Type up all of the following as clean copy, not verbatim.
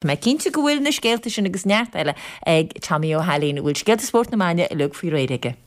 Tá mé cinnte go bhfuil na scéalta sin agus neart eile ag Tommy Ó hAilín, a bhfuil scéalta spóirt na maidine uilig faoi réir aige.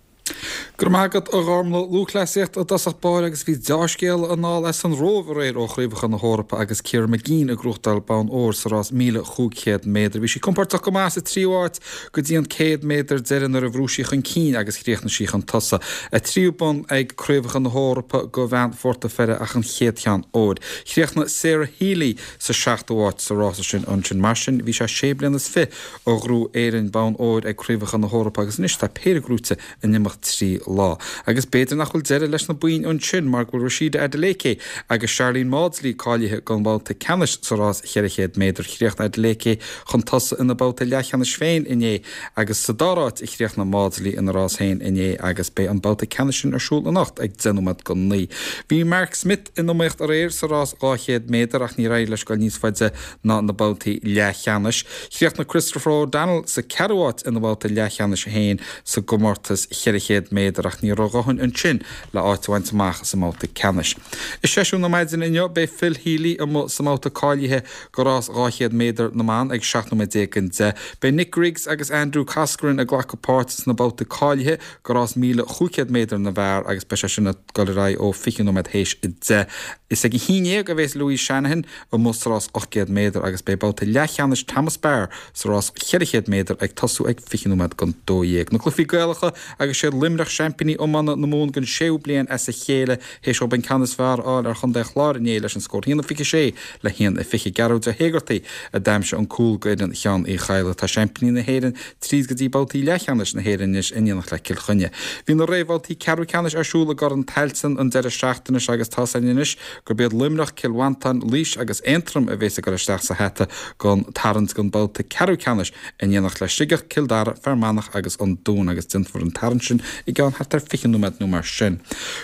Go raibh maith agat, a Ghormlaith. Lúthchleasaíocht i dtosach báire agus bhí deá-scéala anall as an Róimh aréir ó Chraobhacha na hEorpa agus Ciara Mageean ag gnóthachtáil bonn óir sa rás 1,500 méadar. Bhí sí compóirteach go maith sa tríú háit go dtí an 100 méadar deiridh nuair a bhrúigh sí chun cinn agus chríochnaigh sí chun tosaigh. A tríú bonn ag Craobhacha na hEorpa do bhean Phort a' Pheire ach an chéad cheann óir. Chríochnaigh Sarah Healy sa seachtú háit sa rása sin ansin. Mar sin, bhí sé sé bliana is fi ó ghnóthaigh Éirinn bonn óir ag Craobhacha na hEorpa agus anois tá péire gnóite in imeacht 3 lá. Agus b'fhéidir nach bhfuil deireadh leis na boinn ansin mar go bhfuil Rhasidat Adeleke agus Sharlene Mawdsley cáilithe don bhabhta ceannais sa rás 400 méadar. Chríochnaigh Adeleke chun tosaigh ina babhta leathcheannais féin inné agus sa dara háit a chríochnaigh Mawdsley ina rás féin inné agus beidh an babhta ceannais sin ar siúl anocht ag 10 nóiméad go 9. Bhí Mark Smith in iomaíocht aréir sa rás 200 méadar ach níor éirigh leis dul níos faide ná na babhtaí leathcheannais. Chríochnaigh Christopher O'Donnell sa ceathrú háit ina bhabhta leathcheannais féin sa gcomórtas 400 méadar ach ní raibh a dhóthain ansin le áit a bhaint amach sa mbabhta ceannais. I seisiún na maidine inniu beidh Phil Healy amuigh sa mbabhta cáilithe do rás 200 méadar na mban ag 17 nóiméad don 10. Beidh Nick Griggs agus Andrew Coscoran ag glacadh páirt sna babhtaí cáilithe do rás 1,500 méadar na bhfear agus beidh sé sin ag dul ar aghaidh ó 20 nóiméad théis 10. Is ag 11 a bhéas Louise Shanahan amuigh sa rás 800 méadar agus beidh babhta leathcheannais Thomas Barr sa rás 400 méadar ag tosú ag 20 nóiméad don 12. Na cluichí Gaelacha agus siad Luimneach seaimpíní iomána na Mumhan don séú bliain as a chéile théis dóibh an ceann is fearr a fháil ar chontae an Chláir inné leis an scór 1-26 le 1-20. Gearóid Ó hÉigeartaigh a d'aimsigh an cúl d'fhoireann Sheáin Uí Chadhla. Tá seaimpíní na hÉireann tríd go dtí babhtaí leathcheannais na hÉireann anois in éineacht le Cill Chainnigh. Bhí na réamhbhabhtaí ceathrú ceannais ar siúl i gCorn Tailteann an deireadh seachtaine seo agus tá's againn anois gurb iad Luimneach, Cill Mhantáin, Laois agus Aontroim a bhéas ag dul isteach sa hata don tarraingt don babhta ceathrú ceannais in éineacht le Sligeach, Cill Dara, Fear Manach agus an Dún agus déanfar an tarraingt sin i gceann thart ar 20 nóiméad nó mar sin.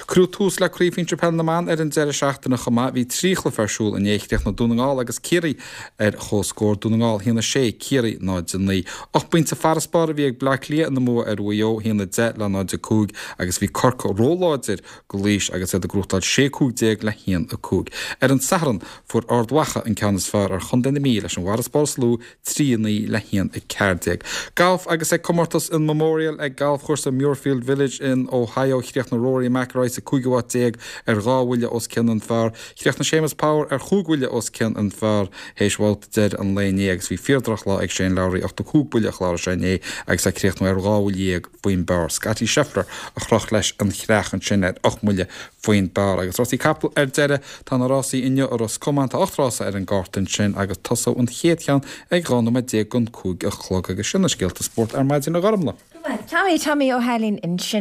Cuireadh tús le Craobh Shinsir Peile na mBan ar an deireadh seachtaine chomh maith. Bhí trí chluiche ar siúl inné. Chríochnaigh Dún na nGall agus Ciarraí ar comhscór, Dún na nGall 1-6, Ciarraí 0-9. 8 bpointe farasbarr a bhí ag Bleá Cliath ina mbua ar Mhaigh Eo, 1-10 le 0-5, agus bhí Corcaigh róláidir do Laois agus iad ag gnóthachtáil 16 15 le 1-5. Ar an Satharn, fuair Ard Mhacha an ceann is fearr ar chontae na Mí leis an bhfarasbarr is lú, 3 9 le 1 14. Galf agus ag comórtas an Memorial ag galfchúrsa Muirfield Village in Ohio, chríochnaigh Rory McIlroy sa cúigiú háit déag ar dhá bhuille os cionn an phar. Chríochnaigh Séamus Power ar chúig bhuille os cionn an phar théis bhabhta deiridh an lae inné agus bhí fíor-drochlá ag Shane Lowry, 85 buille a chláraigh sé inné agus é ag críochnú ar dhá bhuille dhéag faoin bpar. Scottie Scheffler a chroch leis an chreach ansin ar 8 mbuille faoin bpar. Agus rásaí capall ar deireadh, tá na rásaí inniu i Ros Comáin, tá 8 rása ar an gcárta ansin agus tosóidh an chéad cheann ag 12 nóiméad don 5 a chlog. Agus sin na scéalta spóirt ar maidin a Ghormlaith. Tommy, Tommy Ó hAilín ansin.